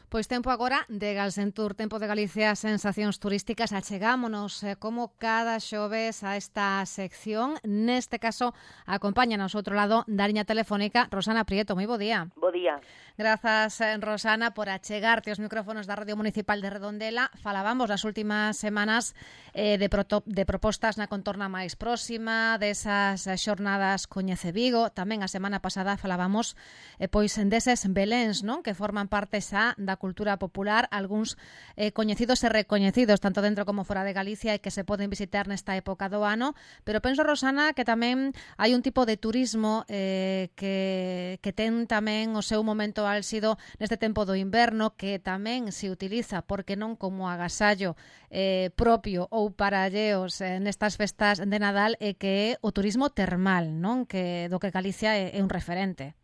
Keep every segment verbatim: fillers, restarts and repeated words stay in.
Pois tempo agora de Galsentur, tempo de Galicia, sensacións turísticas. Achegámonos eh, como cada xoves a esta sección. Neste caso, acompáñanos outro lado da liña telefónica Rosana Prieto. Moi bo día. Bo día. Grazas, Rosana, por achegarte os micrófonos da Radio Municipal de Redondela. Falábamos nas últimas semanas eh, de, proto, de propostas na contorna máis próxima, desas xornadas Coñece Vigo. Tamén a semana pasada falábamos eh, pois deses beléns, non? Que forman parte xa da cultura popular, algúns eh, coñecidos e recoñecidos, tanto dentro como fora de Galicia, e que se poden visitar nesta época do ano. Pero penso, Rosana, que tamén hai un tipo de turismo eh, que, que ten tamén o seu momento álxido neste tempo do inverno, que tamén se utiliza, porque non como agasallo eh, propio ou para alleos eh, nestas festas de Nadal, e que é o turismo termal, non? Que do que Galicia é, é un referente.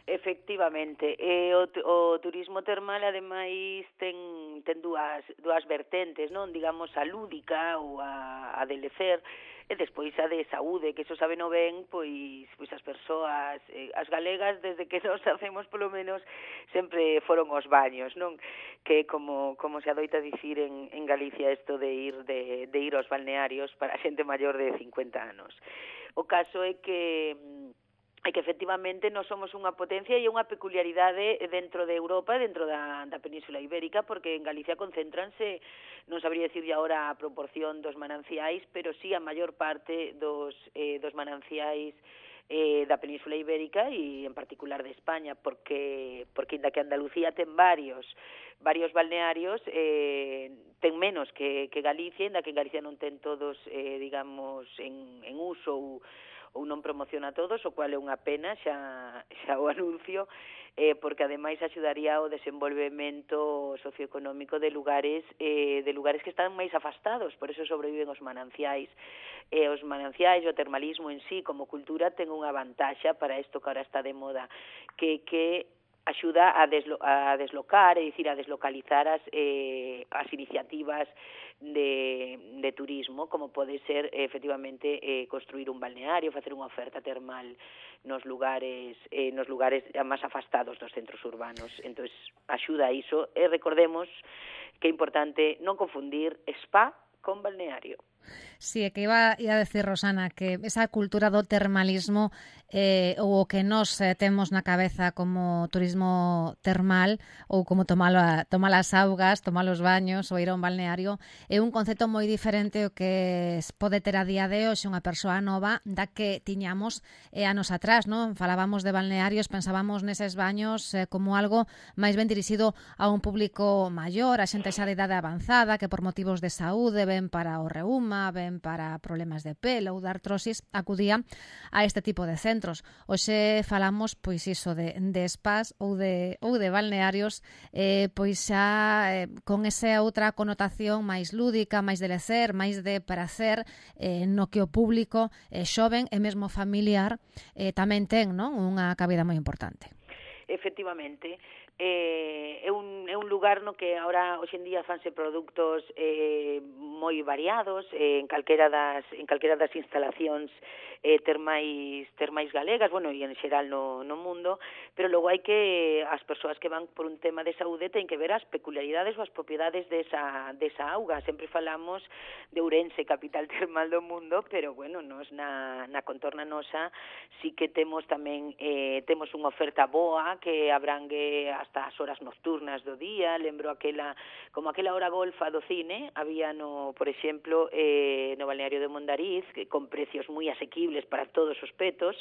Efectivamente, e o, o turismo termal ademais ten, ten dúas, dúas vertentes, non? Digamos, a lúdica ou a, a de lecer, e despois a de saúde, que iso saben o ben, pois, pois as persoas, eh, as galegas, desde que nos hacemos polo menos, sempre foron os baños, non? Que como, como se adoita dicir en, en Galicia isto de ir, de, de ir aos balnearios para a xente maior de cincuenta anos. O caso é que é que efectivamente nós somos unha potencia e unha peculiaridade dentro de Europa, dentro da, da Península Ibérica, porque en Galicia concéntranse, non sabría dicir agora a proporción dos mananciais, pero sí a maior parte dos, eh, dos mananciais eh, da Península Ibérica e en particular de España, porque, porque inda que Andalucía ten varios varios balnearios, eh, ten menos que, que Galicia, inda que en Galicia non ten todos, eh, digamos, en, en uso ou ou non promociona todos, o cual é unha pena, xa, xa o anuncio, eh, porque ademais axudaría ao desenvolvemento socioeconómico de lugares eh, de lugares que están máis afastados, por eso sobreviven os mananciais. E os mananciais, o termalismo en sí, como cultura, ten unha vantaxa para isto que ahora está de moda, que que axuda a, deslo, a deslocar, é dicir, a deslocalizar as, eh, as iniciativas de, de turismo, como pode ser, efectivamente, eh, construir un balneario, facer unha oferta termal nos lugares eh, nos lugares máis afastados dos centros urbanos. Entón, axuda a iso. E recordemos que é importante non confundir spa con balneario. Sí, é que iba, iba a decir, Rosana, que esa cultura do termalismo eh, ou o que nos eh, temos na cabeza como turismo termal ou como tomar, a, tomar as augas, tomar os baños ou ir a un balneario é un concepto moi diferente o que pode ter a día de hoxe unha persoa nova da que tiñamos eh, anos atrás, non? Falábamos de balnearios, pensábamos neses baños eh, como algo máis ben dirixido a un público maior, a xente xa de idade avanzada que por motivos de saúde ven para o reuma, ven para problemas de pelo ou de artrosis, acudía a este tipo de centros. Hoxe falamos, pois iso, de, de spas ou de, ou de balnearios, eh, pois xa eh, con esa outra connotación máis lúdica, máis de lecer, máis de prazer, eh, no que o público eh, xoven e mesmo familiar eh, tamén ten, non? Unha cabida moi importante. Efectivamente. Eh, é, un, é un lugar no que ahora hoxe en día fanse produtos eh, moi variados eh, en calquera das en calquera das instalacións eh, termais termais galegas, bueno, e en xeral no, no mundo, pero logo hai que as persoas que van por un tema de saúde ten que ver as peculiaridades ou as propiedades desa, desa auga. Sempre falamos de Ourense, capital termal do mundo, pero bueno, nos na, na contorna nosa sí que temos tamén eh, temos unha oferta boa que abrangue hasta as horas nocturnas do día. Lembro aquela, como aquela hora golfa do cine, había no, por exemplo, eh, no balneario de Mondariz, que con precios moi asequibles para todos os petos,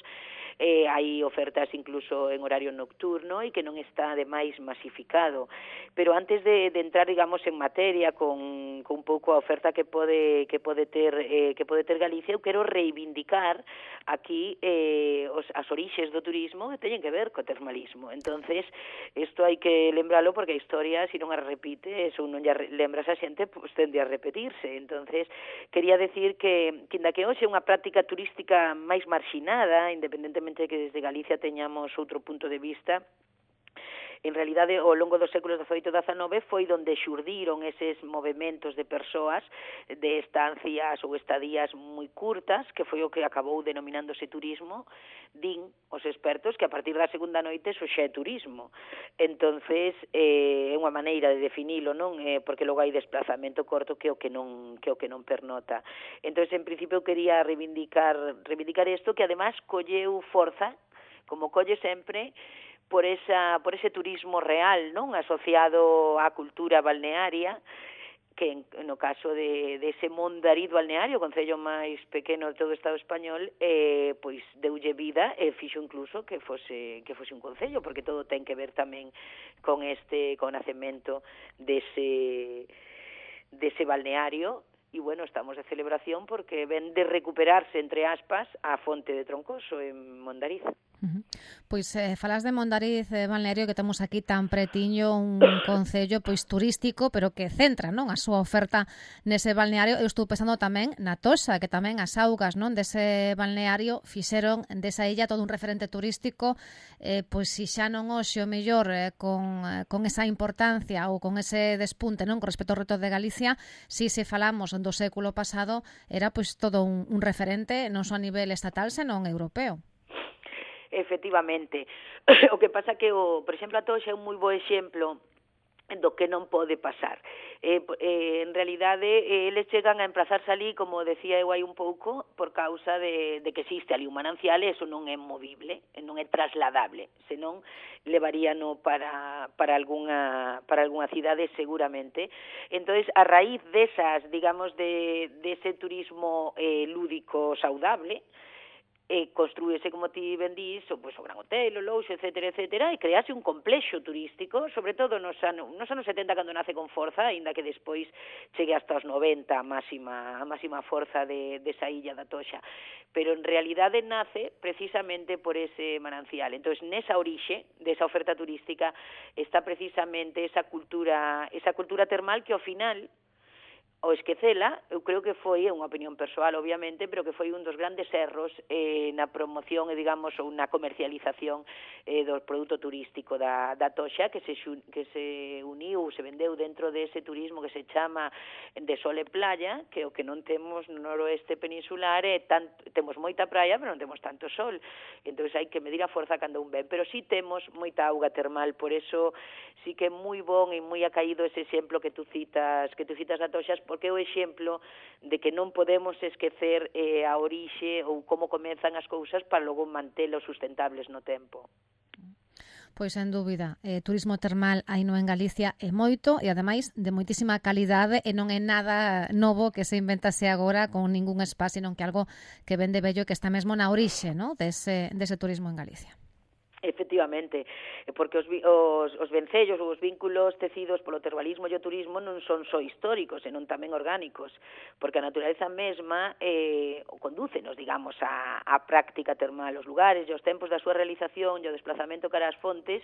eh, hai ofertas incluso en horario nocturno e que non está demais masificado. Pero antes de, de entrar, digamos, en materia con, con un pouco a oferta que pode que pode ter eh, que pode ter Galicia, eu quero reivindicar aquí eh, os, as orixes do turismo que teñen que ver co termalismo. Entonces, isto hai que lembralo porque a historia, se non a repite, se non lla lembras a xente, pues, tende a repetirse. Entonces, quería decir que, que inda que hoxe é unha práctica turística máis marxinada, independentemente de que desde Galicia teñamos outro punto de vista, en realidade, ao longo dos séculos dezoito e dezanove foi onde xurdiron eses movementos de persoas de estancias ou estadías moi curtas, que foi o que acabou denominándose turismo. Din os expertos que a partir da segunda noite eso xa é turismo. Entonces, eh, é unha unha maneira de definilo, non? Eh, porque logo hai desplazamento corto que é o que non que é o que non pernota. Entón, en principio, quería reivindicar reivindicar isto, que además colleu forza, como colle sempre, por esa por ese turismo real, non? Asociado á cultura balnearia, que en, no caso de, de ese Mondariz balneario, o concello máis pequeno de todo o Estado español, eh, pois deulle vida e fixo incluso que fose que fose un concello, porque todo ten que ver tamén con este con o nacemento dese dese balneario. E, bueno, estamos de celebración porque ven de recuperarse, entre aspas, a fonte de Troncoso en Mondariz. Uh-huh. Pois eh, falas de Mondariz, eh, balneario, que temos aquí tan pretiño, un concello pois turístico, pero que centra, non, a súa oferta nese balneario. Eu estou pensando tamén na Toxa, que tamén as augas, non, dese balneario fixeron desa illa todo un referente turístico, eh, pois si xa non hoxe o mellor eh, con, eh, con esa importancia ou con ese despunte, non, con respecto ao reto de Galicia, si se falamos do século pasado, era pois todo un, un referente non só a nivel estatal, senón europeo. Efectivamente. O que pasa que, o, por exemplo, a Toxa é un moi bo exemplo do que non pode pasar. Eh, eh, en realidade, eh, eles chegan a emplazarse ali, como decía eu aí un pouco, por causa de, de que existe ali un manancial, e eso non é movible, non é trasladable, senón levaríano para, para, algunha, para algunha cidade seguramente. Entonces, a raíz desas, digamos, de, de ese turismo eh, lúdico saudable, e construíse, como ti ben dís, o, pues, o Gran Hotel, o Louxo, etcétera, etcétera, e crease un complexo turístico, sobre todo nos anos, nos anos setenta, cando nace con forza, aínda que despois chegue hasta os noventa a máxima, a máxima forza de, de esa illa da Toxa, pero en realidade nace precisamente por ese manancial. Entón, nesa orixe desa oferta turística está precisamente esa cultura, esa cultura termal que ao final, o esquecela, eu creo que foi, é unha opinión persoal, obviamente, pero que foi un dos grandes erros eh, na promoción e, digamos, ou na comercialización eh, do produto turístico da, da Toxa, que se, que se uniu, se vendeu dentro dese turismo que se chama de sol e playa, que o que non temos no noroeste peninsular é tanto, temos moita praia, pero non temos tanto sol. Entón, hai que medir a forza cando un ven, pero sí temos moita auga termal, por eso sí que é moi bon e moi acaído ese exemplo que tú citas, que tú citas da Toxa, porque é o exemplo de que non podemos esquecer eh, a orixe ou como comezan as cousas para logo mantelos sustentables no tempo. Pois, sen dúbida, eh, turismo termal aí no en Galicia é moito e, ademais, de moitísima calidade, e non é nada novo que se inventase agora con ningún spa, sino que algo que ven de bello, que está mesmo na orixe, ¿no?, dese, dese turismo en Galicia. Efectivamente, porque os, os, os vencellos ou os vínculos tecidos polo termalismo e o turismo non son só históricos, senón tamén orgánicos, porque a natureza mesma eh, condúcenos, digamos, a, a práctica termal. Os lugares e os tempos da súa realización e o desplazamento cara ás fontes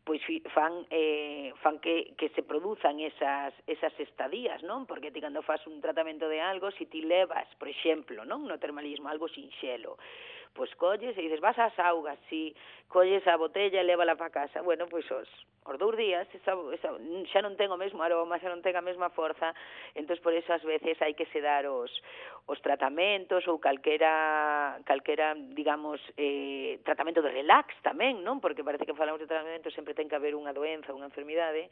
pois fan, eh, fan que, que se produzan esas, esas estadías, non? Porque ti cando faz un tratamento de algo, se ti levas, por exemplo, non, no termalismo, algo sinxelo, pois colles e dices, vas ás augas, si colles a botella e lévala para casa, bueno, pois os, os dous días esa, esa, xa non ten o mesmo aroma, xa non ten a mesma forza, entón por eso ás veces hai que se dar os, os tratamentos ou calquera, calquera digamos, eh, tratamento de relax tamén, non? Porque parece que falamos de tratamento, sempre ten que haber unha doenza, unha enfermidade,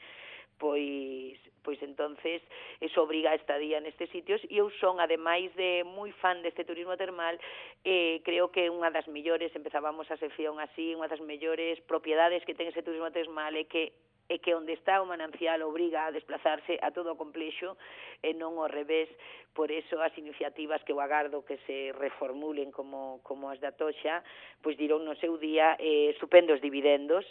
pois pois entonces eso obriga a estadía nestes sitios, e eu son, ademais de moi fan deste turismo termal, eh, creo que unha das mellores, empezábamos a sección así, unha das mellores propiedades que ten ese turismo termal é que é que onde está o manancial obriga a desplazarse a todo o complexo e non ao revés. Por eso as iniciativas que eu agardo que se reformulen como, como as da Toxa, pois diron no seu día eh, estupendos dividendos,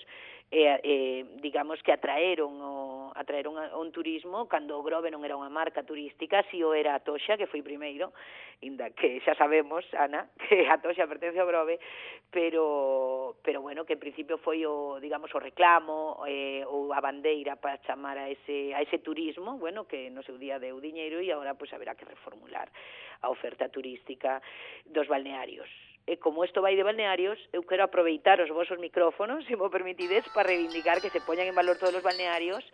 eh, eh, digamos que atraeron o, atraeron a, un turismo cando o Grove non era unha marca turística, si o era a Toxa, que foi primeiro, inda que xa sabemos, Ana, que a Toxa pertence ao Grove, pero, pero bueno, que en principio foi o, digamos, o reclamo eh, ou a bandeira para chamar a ese, a ese turismo, bueno, que no seu día deu diñeiro e agora pois haberá que reformular a oferta turística dos balnearios. E como isto vai de balnearios, eu quero aproveitar os vosos micrófonos, se mo permitides, para reivindicar que se poñan en valor todos os balnearios.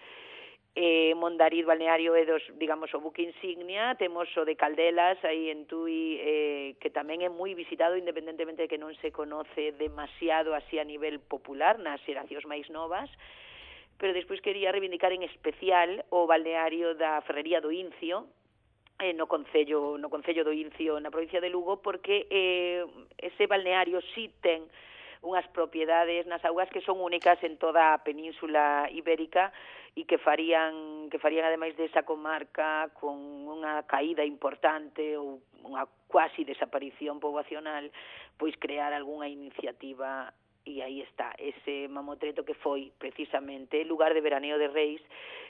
Eh, Mondariz balneario é dos, digamos, o buque insignia, temos o de Caldelas aí en Tui, eh, que tamén é moi visitado, independentemente de que non se conoce demasiado así a nivel popular nas xeracións máis novas, pero despois quería reivindicar en especial o balneario da Ferrería do Incio, eh, no concello no concello do Incio, na provincia de Lugo, porque eh, ese balneario sí ten unhas propiedades nas augas que son únicas en toda a península ibérica e que farían que farían ademais desa comarca con unha caída importante ou unha cuasi desaparición poboacional, pois crear algunha iniciativa. E aí está, ese Mamotreto que foi precisamente lugar de veraneo de reis,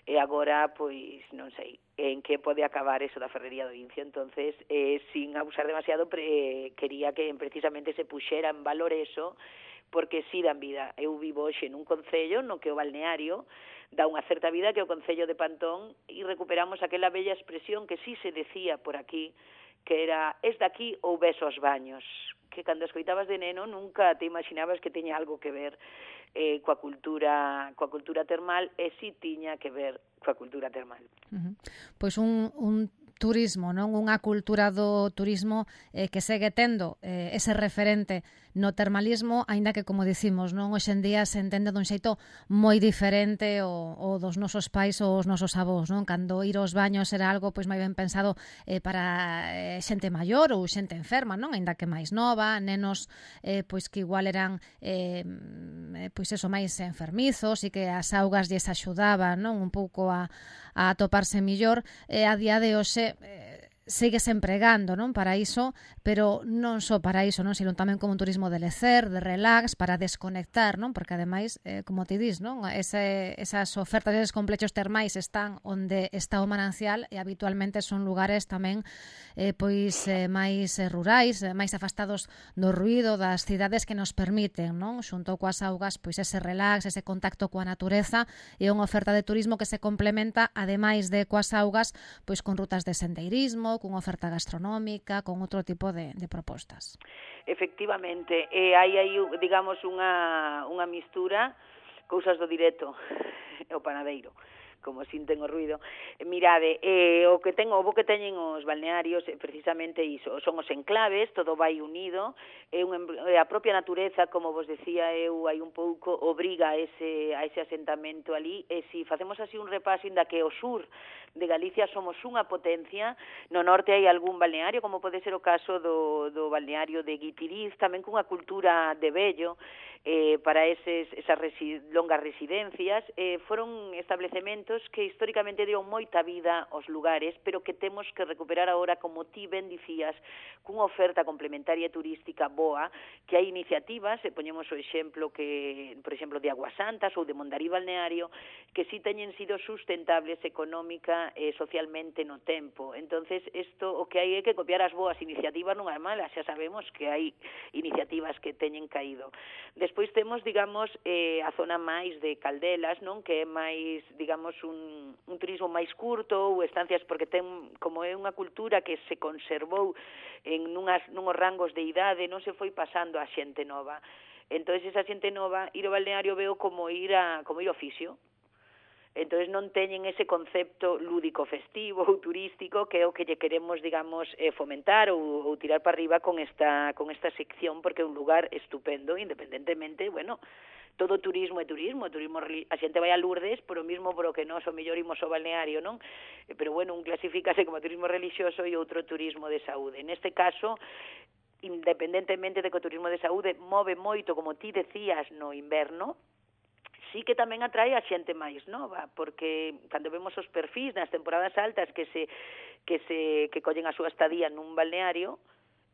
e agora, pois, non sei en que pode acabar eso da Ferrería do Incio. Entonces, eh, sin abusar demasiado, pre, quería que precisamente se puxera en valor eso, porque si dan vida. Eu vivo hoxe nun concello no que o balneario dá unha certa vida, que é o concello de Pantón, e recuperamos aquela bella expresión que si se decía por aquí, que era, es daqui ou ves os baños, que cando escoitabas de neno nunca te imaginabas que teña algo que ver eh, coa cultura coa cultura termal, e si tiña que ver coa cultura termal. Uh-huh. Pois un, un turismo, non? Unha cultura do turismo eh, que segue tendo eh, ese referente no termalismo, aínda que, como dicimos, non, hoxe en día se entende dun xeito moi diferente o, o dos nosos pais ou os nosos avós, non? Cando ir aos baños era algo pois moi ben pensado eh, para eh, xente maior ou xente enferma, non? Aínda que máis nova, nenos eh, pois que igual eran eh, pois eso, máis enfermizos e que as augas lles axudaban, non? Un pouco a, a atoparse millor. E a día de hoxe eh, síguese empregando, non, para iso, pero non só para iso, non, sino tamén como un turismo de lecer, de relax, para desconectar, non, porque ademais, eh, como ti dis, non, ese, esas ofertas, eses complexos termais están onde está o manancial, e habitualmente son lugares tamén eh, pois eh, máis eh, rurais, eh, máis afastados do ruído das cidades, que nos permiten, non, xunto coas augas, pois ese relax, ese contacto coa natureza, e unha oferta de turismo que se complementa, ademais de coas augas, pois con rutas de sendeirismo, cunha oferta gastronómica, con outro tipo de, de propostas. Efectivamente, e hai aí, digamos, unha, unha mistura, cousas do directo, o panadeiro, como sinten o ruido. Mirade, eh, o que ten, o bo que teñen os balnearios, eh, precisamente iso, son os enclaves, todo vai unido, é un, a propia natureza, como vos decía eu, hai un pouco, obriga a ese, a ese asentamento ali, e se si facemos así un repaso, inda que o sur de Galicia somos unha potencia, no norte hai algún balneario, como pode ser o caso do, do balneario de Guitiriz, tamén cunha cultura de vello, eh, para eses, esas resi, longas residencias, eh, foron establecementos que históricamente dieron moita vida aos lugares, pero que temos que recuperar agora, como ti ben dicías, cunha oferta complementaria turística boa, que hai iniciativas, e poñemos o exemplo que, por exemplo, de Aguasantas ou de Mondarí Balneario, que si teñen sido sustentables económica e socialmente no tempo. Entonces, isto o que hai é que copiar as boas iniciativas, non hai malas, xa sabemos que hai iniciativas que teñen caído. Despois temos, digamos, eh, a zona máis de Caldelas, non, que é máis, digamos, un, un turismo máis curto, ou estancias, porque ten, como é unha cultura que se conservou en nunhas, nunhos rangos de idade, non se foi pasando a xente nova. Entón, esa xente nova, ir ao balneario veo como ir a como ir ao oficio. Entón, non teñen ese concepto lúdico festivo ou turístico, que é o que lle queremos, digamos, eh, fomentar ou, ou tirar para arriba con esta, con esta sección, porque é un lugar estupendo, independentemente, bueno, todo turismo é turismo, turismo a xente vai a Lourdes por o mismo por o que nós o mellor imos ao balneario, non? Pero, bueno, un clasifícase como turismo religioso e outro turismo de saúde. Neste caso, independentemente de que o turismo de saúde move moito, como ti decías, no inverno, sí que tamén atrae a xente máis nova, porque cando vemos os perfis nas temporadas altas que se que se que collen a súa estadía nun balneario,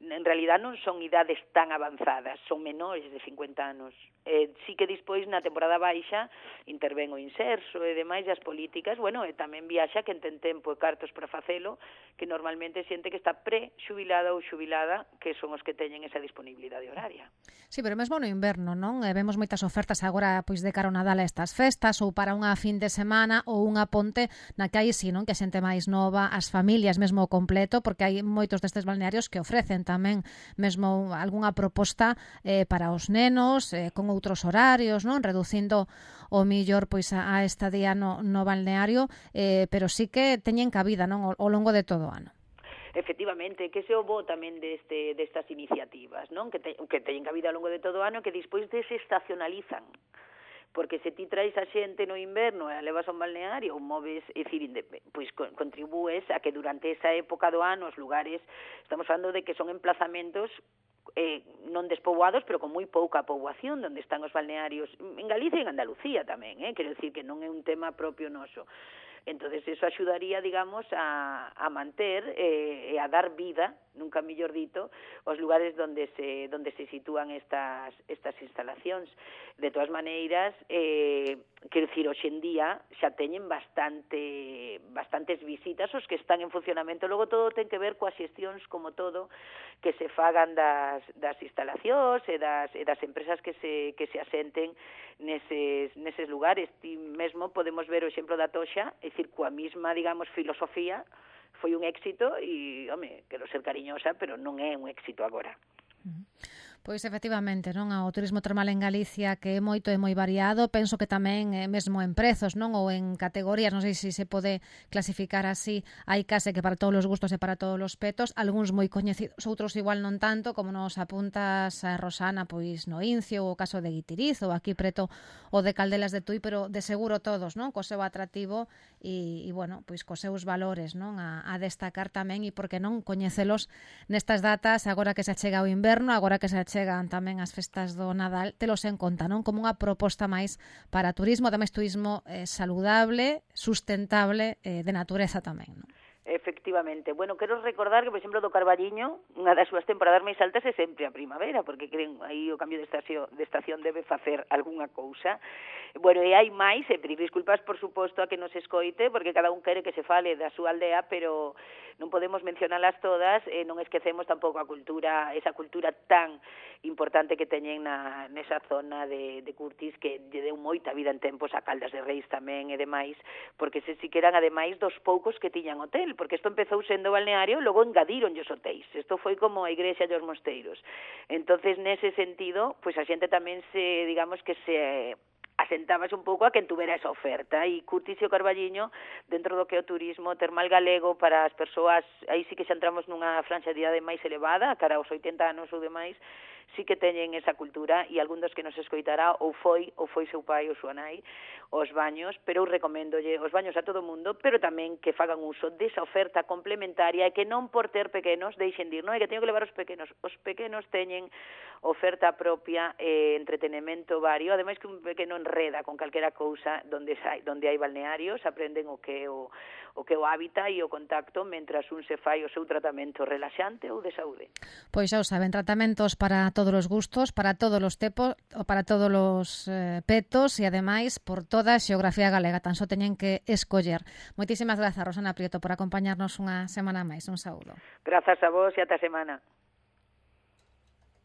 en realidad non son idades tan avanzadas, son menores de cincuenta anos. Eh, sí que despois na temporada baixa interven o inserso e demais as políticas, bueno, e tamén viaxa que ten tempo e cartos para facelo, que normalmente xente que está pre-xubilada ou xubilada, que son os que teñen esa disponibilidade horaria. Sí, pero mesmo no inverno, non? Eh, vemos moitas ofertas agora pois de cara ao Nadal a estas festas, ou para unha fin de semana ou unha ponte na que hai, sí, non? Que a xente máis nova, as familias mesmo completo, porque hai moitos destes balnearios que ofrecen tamén mesmo algunha proposta eh, para os nenos, eh, con outros horarios, non? Reducindo o millor pois a, a estadía no, no balneario, eh, pero sí que teñen cabida, non? Ao, ao longo de todo o ano. Efectivamente, que se o bo tamén deste, destas iniciativas, non? Que, te, que teñen cabida ao longo de todo o ano, que despois desestacionalizan, porque se ti traes a xente no inverno e a levas a un balneario, moves, é dicir, pois contribúes a que durante esa época do ano os lugares, estamos falando de que son emplazamentos eh, non despoboados, pero con moi pouca poboación, onde están os balnearios, en Galicia e en Andalucía tamén, eh? Quero dicir que non é un tema propio noso. Entonces eso axudaría, digamos, a, a manter eh, e a dar vida, nunca mellor dito, os lugares donde se donde se sitúan estas estas instalacións. De todas maneiras, eh, quero dicir, hoxe en día xa teñen bastante bastantes visitas os que están en funcionamento. Logo todo ten que ver coas xestións, como todo, que se fagan das, das instalacións e das, e das empresas que se, que se asenten neses, neses lugares. Ti mesmo podemos ver o exemplo da Toxa, é dicir, coa mesma, digamos, filosofía, foi un éxito e, home, quero ser cariñosa, pero non é un éxito agora. Pois efectivamente, non, o turismo termal en Galicia que é moito e moi variado, penso que tamén é mesmo en prezos, non, ou en categorías, non sei se se pode clasificar así, hai case que para todos os gustos e para todos os petos, algúns moi coñecidos, outros igual non tanto, como nos apuntas a Rosana, pois no Incio, o caso de Guitiriz, ou aquí preto o de Caldelas de Tui, pero de seguro todos, non, co seu atractivo e, e bueno, pois cos seus valores, non, a, a destacar tamén, e porque non coñecelos nestas datas, agora que se achega o inverno, agora que se chegan tamén as festas do Nadal, telos en conta, non? Como unha proposta máis para turismo, ademais turismo eh, saludable, sustentable, eh, de natureza tamén, non? Efectivamente. Bueno, quero recordar que, por exemplo, do Carballiño, unha das súas temporadas máis altas é sempre a primavera, porque creen aí o cambio de estación, de estación debe facer algunha cousa. Bueno, e hai máis, e pedir disculpas, por suposto, a que nos escoite, porque cada un quere que se fale da súa aldea, pero non podemos mencionalas todas, e non esquecemos tampouco a cultura, esa cultura tan importante que teñen na, nesa zona de, de Curtis, que lle deu moita vida en tempos a Caldas de Reis tamén e demais, porque se si que eran, ademais, dos poucos que tiñan hotel, porque isto empezou sendo balneario, logo engadiron os hotéis. Isto foi como a igrexa e os mosteiros. Entonces, nese sentido, pois a xente tamén se, digamos que se asentábase un pouco a quen tuvera esa oferta, e Curtis e o Carballiño, dentro do que é o turismo termal galego para as persoas, aí sí que xa entramos nunha franxa de idade máis elevada, cara aos oitenta anos ou demais, sí que teñen esa cultura, e algún dos que nos escoitará ou foi, ou foi seu pai ou súa nai, os baños, pero eu recoméndolle os baños a todo o mundo, pero tamén que fagan uso desa oferta complementaria e que non por ter pequenos deixen de ir, non é que teño que levar os pequenos, os pequenos teñen oferta propia, eh, entretenimento vario, ademais que un pequeno enreda con calquera cousa donde hai, donde hai balnearios, aprenden o que é o, o que é o hábitat e o contacto, mentras un se fai o seu tratamento relaxante ou de saúde. Pois xa o saben, tratamentos para todos os gustos, para todos os tempos, para todos os eh, petos e ademais por toda a xeografía galega, tan só teñen que escoller. Moitísimas grazas, Rosana Prieto, por acompañarnos unha semana máis. Un saúdo. Grazas a vos e ata semana.